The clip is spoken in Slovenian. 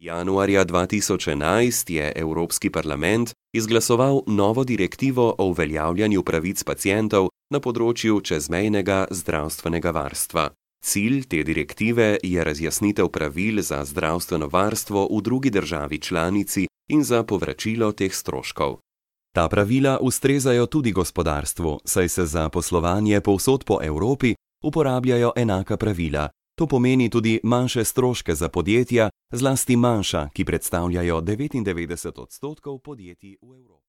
Januarja 2011 je Evropski parlament izglasoval novo direktivo o uveljavljanju pravic pacientov na področju čezmejnega zdravstvenega varstva. Cilj te direktive je razjasnitev pravil za zdravstveno varstvo v drugi državi članici in za povračilo teh stroškov. Ta pravila ustrezajo tudi gospodarstvu, saj se za poslovanje povsod po Evropi uporabljajo enaka pravila. To pomeni tudi manjše stroške za podjetja, zlasti manjša, ki predstavljajo 99% podjetij v Evropi.